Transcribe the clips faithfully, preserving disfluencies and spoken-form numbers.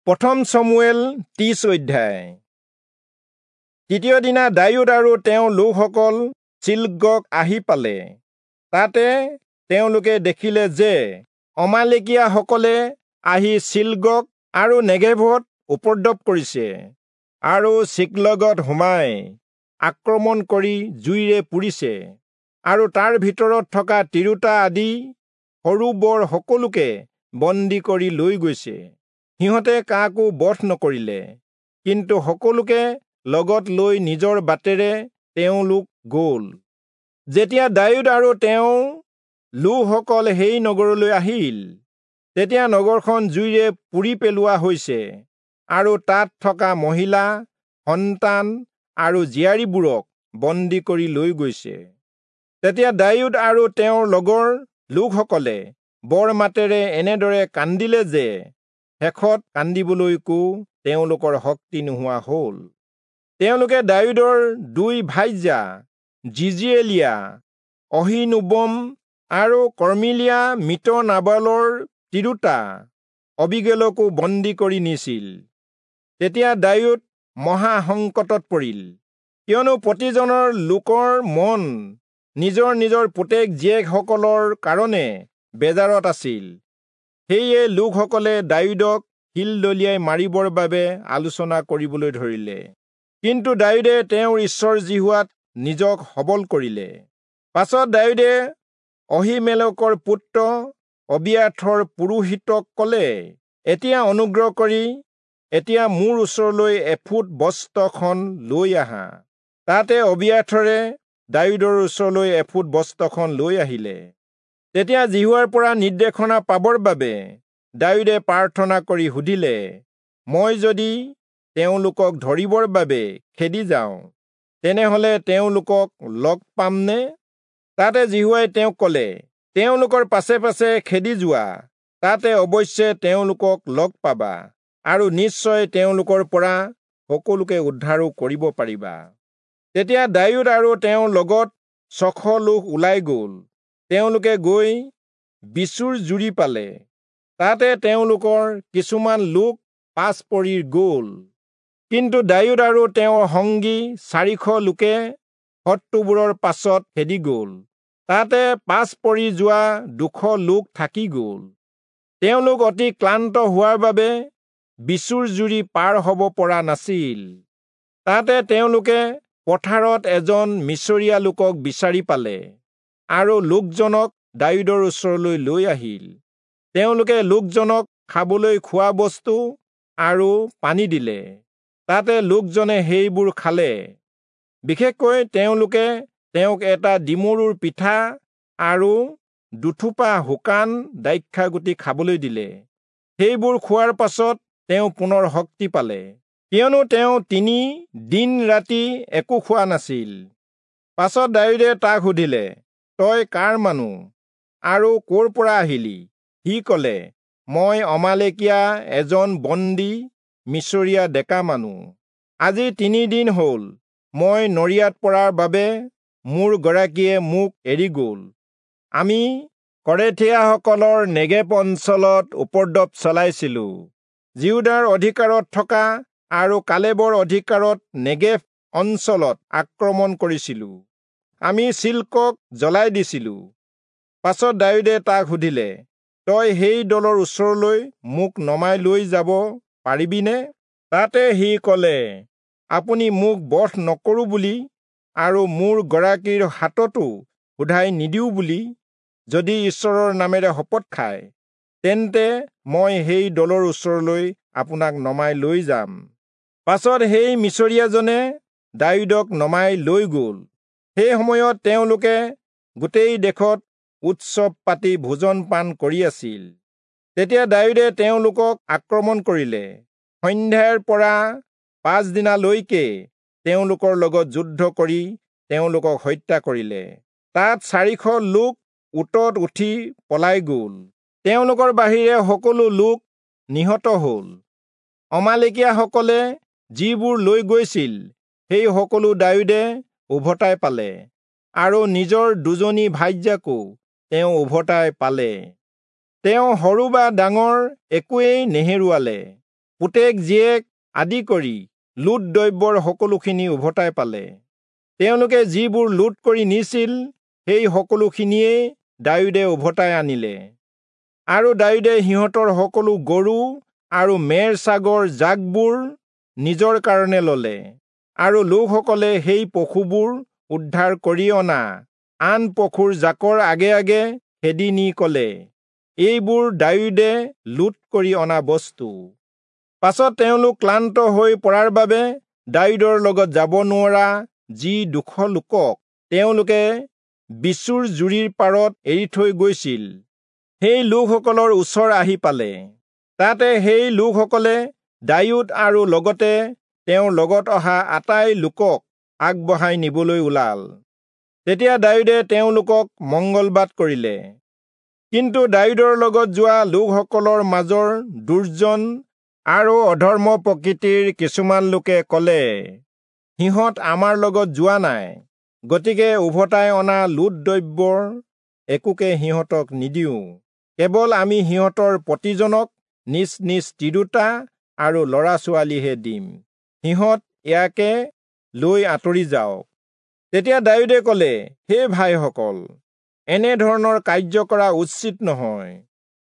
প্ৰথম চমূৱেল ত্ৰিশ অধ্যায়। তৃতীয় দিনা দায়ূদ আৰু তেওঁৰ লোকসকল চিল্গক আহি পালে। তাতে তেওঁলোকে দেখিলে যে অমালেকীয়াসকলে আহি চিল্গক আৰু নেগেভত উপদ্ৰৱ কৰিছে আৰু চিক্লগত সোমাই আক্ৰমণ কৰি জুইৰে পুৰিছে আৰু তাৰ ভিতৰত থকা তিৰোতা আদি সৰু বৰ সকলোকে বন্দী কৰি লৈ গৈছে। সিহঁতে কাকো বধ নকৰিলে, কিন্তু সকলোকে লগত লৈ নিজৰ বাটেৰে তেওঁলোক গ'ল। যেতিয়া দায়ূদ আৰু তেওঁৰ লোকসকল সেই নগৰলৈ আহিল, তেতিয়া নগৰখন জুইৰে পুৰি পেলোৱা হৈছে আৰু তাত থকা মহিলা, সন্তান আৰু জীয়াৰীবোৰক বন্দী কৰি লৈ গৈছে। তেতিয়া দায়ূদ আৰু তেওঁৰ লগৰ লোকসকলে বৰ মাতেৰে এনেদৰে কান্দিলে যে শেষত কান্দিবলৈকো তেওঁলোকৰ শক্তি নোহোৱা হ'ল। তেওঁলোকে দায়ূদৰ দুই ভাইজা যিজিয়েলীয়া অহীনোৱম আৰু কৰ্মিলীয়া মৃত নাবালৰ তিৰোতা অবীগেলকো বন্দী কৰি নিছিল। তেতিয়া দায়ূদ মহা সংকটত পৰিল, কিয়নো প্ৰতিজনৰ লোকৰ মন নিজৰ নিজৰ পুতেক জীয়েকসকলৰ কাৰণে বেজাৰত আছিল। সেয়ে লোকসকলে দায়ূদক শিল দলিয়াই মাৰিবৰ বাবে আলোচনা কৰিবলৈ ধৰিলে। কিন্তু দায়ূদে তেওঁৰ ঈশ্বৰ যিহোৱাত নিজক সবল কৰিলে। পাছত দায়ূদে অহীমেলকৰ পুত্ৰ অবিয়াথৰ পুৰোহিতক ক'লে, এতিয়া অনুগ্ৰহ কৰি এতিয়া মোৰ ওচৰলৈ এফুট বস্ত্ৰখন লৈ আহা। তাতে অবিয়াথৰে দায়ূদৰ ওচৰলৈ এফুট বস্ত্ৰখন লৈ আহিলে। তেতিয়া যিহোৱাৰ পৰা নিৰ্দেশনা পাবৰ বাবে দায়ূদে প্ৰাৰ্থনা কৰি সুধিলে, মই যদি তেওঁলোকক ধৰিবৰ বাবে খেদি যাওঁ, তেনেহলে তেওঁলোকক লগ পামনে? তাতে যিহোৱাই তেওঁক ক'লে, তেওঁলোকৰ পাছে পাছে খেদি যোৱা, তাতে অৱশ্যে তেওঁলোকক লগ পাবা আৰু নিশ্চয় তেওঁলোকৰ পৰা সকলোকে উদ্ধাৰো কৰিব পাৰিবা। তেতিয়া দায়ূদ আৰু তেওঁৰ লগত ছশ লোক ওলাই গ'ল। তেওঁলোকে গৈ বিচুৰ জুৰি পালে। তাতে তেওঁলোকৰ কিছুমান লোক পাছ পৰি গ'ল। কিন্তু দায়ূদ আৰু তেওঁৰ সংগী চাৰিশ লোকে শত্ৰুবোৰৰ পাছত খেদি গ'ল। তাতে পাছ পৰি যোৱা দুশ লোক থাকি গ'ল। তেওঁলোক অতি ক্লান্ত হোৱাৰ বাবে বিচুৰ জুৰি পাৰ হ'ব পৰা নাছিল। তাতে তেওঁলোকে পথাৰত এজন মিচৰীয়া লোকক বিচাৰি পালে আৰু লোকজনক দায়ূদৰ ওচৰলৈ লৈ আহিল। তেওঁলোকে লোকজনক খাবলৈ খোৱা বস্তু আৰু পানী দিলে। তাতে লোকজনে সেইবোৰ খালে। বিশেষকৈ তেওঁলোকে তেওঁক এটা ডিমৰুৰ পিঠা আৰু দুথোপা শুকান দ্ৰাক্ষাগুটি খাবলৈ দিলে। সেইবোৰ খোৱাৰ পাছত তেওঁ পুনৰ শক্তি পালে, কিয়নো তেওঁ তিনি দিন ৰাতি একো খোৱা নাছিল। পাছত দায়ূদে তাক সুধিলে, তই কাৰ মানুহ আৰু ক'ৰ পৰা আহিলি? সি ক'লে, মই অমালেকীয়া এজন বন্দী মিচৰীয়া ডেকা মানুহ। আজি তিনিদিন হ'ল মই নৰিয়াত পৰাৰ বাবে মোৰ গৰাকীয়ে মোক এৰি গ'ল। আমি কৰেথীয়াসকলৰ নেগেভ অঞ্চলত উপদ্ৰৱ চলাইছিলোঁ। যিহূদাৰ অধিকাৰত থকা আৰু কালেবৰ অধিকাৰত নেগেভ অঞ্চলত আক্ৰমণ কৰিছিলোঁ। আমি চিল্কক জ্বলাই দিছিলোঁ। পাছত দায়ূদে তাক সুধিলে, তই সেই দলৰ ওচৰলৈ মোক নমাই লৈ যাব পাৰিবিনে? তাতে সি ক'লে, আপুনি মোক বধ নকৰোঁ বুলি আৰু মোৰ গৰাকীৰ হাততো সোধাই নিদিওঁ বুলি যদি ঈশ্বৰৰ নামেৰে শপত খায়, তেন্তে মই সেই দলৰ ওচৰলৈ আপোনাক নমাই লৈ যাম। পাছত সেই মিচৰীয়াজনে দায়ূদক নমাই লৈ গ'ল। সেই সময়ত তেওঁলোকে গোটেই দেশত উৎসৱ পাতি ভোজন পান কৰি আছিল। তেতিয়া দায়ূদে তেওঁলোকক আক্ৰমণ কৰিলে। সন্ধ্যাৰ পৰা পাছদিনালৈকে তেওঁলোকৰ লগত যুদ্ধ কৰি তেওঁলোকক হত্যা কৰিলে। তাত চাৰিশ লোক উটত উঠি পলাই গ'ল। তেওঁলোকৰ বাহিৰে সকলো লোক নিহত হ'ল। অমালেকীয়াসকলে যিবোৰ লৈ গৈছিল সেই সকলো দায়ূদে উভতাই পালে আৰু নিজৰ দুজনী ভাৰ্যাকো তেওঁ উভতাই পালে। তেওঁ সৰু বা ডাঙৰ একোৱেই নেহেৰুৱালে। পুতেক জীয়েক আদি কৰি লুট দ্ৰব্যৰ সকলোখিনি উভতাই পালে। তেওঁলোকে যিবোৰ লুট কৰি নিছিল সেই সকলোখিনিয়েই দায়ূদে উভতাই আনিলে। আৰু দায়ূদে সিহঁতৰ সকলো গৰু আৰু মেৰ ছাগৰ জাকবোৰ নিজৰ কাৰণে ললে, আৰু লোকসকলে সেই পশুবোৰ উদ্ধাৰ কৰি অনা আন পশুৰ জাকৰ আগে আগে খেদি নি কলে, এইবোৰ দায়ূদে লুট কৰি অনা বস্তু। পাছত তেওঁলোক ক্লান্ত হৈ পৰাৰ বাবে দায়ূদৰ লগত যাব নোৱৰা যি দুশ লোকক তেওঁলোকে বিচোৰ জুৰিৰ পাৰত এৰি থৈ গৈছিল, সেই লোকসকলৰ ওচৰ আহি পালে। তাতে সেই লোকসকলে দায়ূদ আৰু লগতে তেওঁৰ লগত অহা আটাই লোকক আগবঢ়াই নিবলৈ ওলাল। তেতিয়া দায়ূদে তেওঁলোকক মংগলবাদ কৰিলে। কিন্তু দায়ূদৰ লগত যোৱা লোকসকলৰ মাজৰ দুৰ্জন আৰু অধৰ্ম প্ৰকৃতিৰ কিছুমান লোকে কলে, সিহঁত আমাৰ লগত যোৱা নাই, গতিকে উভতাই অনা লুট দ্ৰব্যৰ একোকে সিহঁতক নিদিওঁ, কেৱল আমি সিহঁতৰ প্ৰতিজনক নিজ নিজ তিৰোতা আৰু ল'ৰা ছোৱালীহে দিম, সিহঁত ইয়াকে লৈ আঁতৰি যাওক। তেতিয়া দায়ূদে কলে, হে ভাইসকল, এনেধৰণৰ কাৰ্য কৰা উচিত নহয়।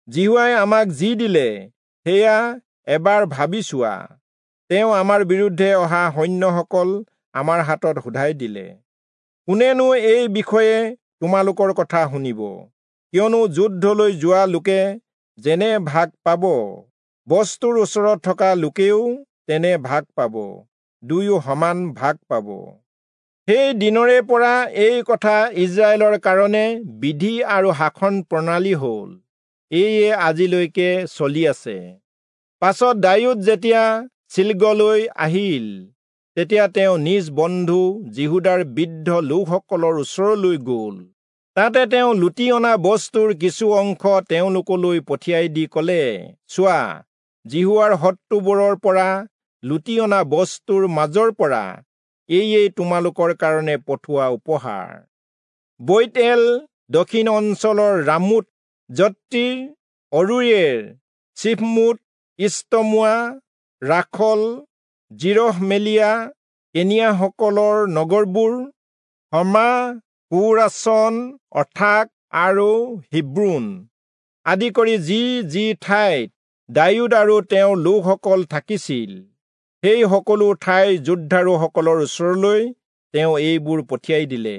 যিহোৱাই আমাক যি দিলে সেয়া এবাৰ ভাবি চোৱা। তেওঁ আমাৰ বিৰুদ্ধে অহা সৈন্যসকল আমাৰ হাতত শোধাই দিলে। কোনেনো এই বিষয়ে তোমালোকৰ কথা শুনিব? কিয়নো যুদ্ধলৈ যোৱা লোকে যেনে ভাগ পাব, বস্তুৰ ওচৰত থকা লোকেও তেনে ভাগ পাব, দুয়ো সমান ভাগ পাব। সেই দিনৰে পৰা এই কথা ইজৰাইলৰ কাৰণে বিধি আৰু শাসন প্ৰণালী হ'ল, এয়ে আজিলৈকে চলি আছে। পাছত দায়ূদ যেতিয়া চিল্গলৈ আহিল, তেতিয়া তেওঁ নিজ বন্ধু যিহূদাৰ বৃদ্ধ লোকসকলৰ ওচৰলৈ গ'ল। তাতে তেওঁ লুটি অনা বস্তুৰ কিছু অংশ তেওঁলোকলৈ পঠিয়াই দি কলে, চোৱা, যিহোৱাৰ শত্ৰুবোৰৰ পৰা লুটি অনা বস্তুৰ মাজৰ পৰা এয়েই তোমালোকৰ কাৰণে পঠোৱা উপহাৰ। বৈৎএল, দক্ষিণ অঞ্চলৰ ৰামোত, যত্তীৰ, অৰোয়েৰ, চিফমোত, ইষ্টমোৱা, ৰাখল, যিৰহমেলীয়া, কেনীয়াসকলৰ নগৰবোৰ, হৰ্মা, কোৰাচন, অথাক আৰু হিব্ৰোন আদি কৰি যি যি ঠাইত দায়ূদ আৰু তেওঁৰ লোকসকল থাকিছিল, সেই সকলো ঠাইৰ যোদ্ধাৰুসকলৰ ওচৰলৈ তেওঁ এইবোৰ পঠিয়াই দিলে।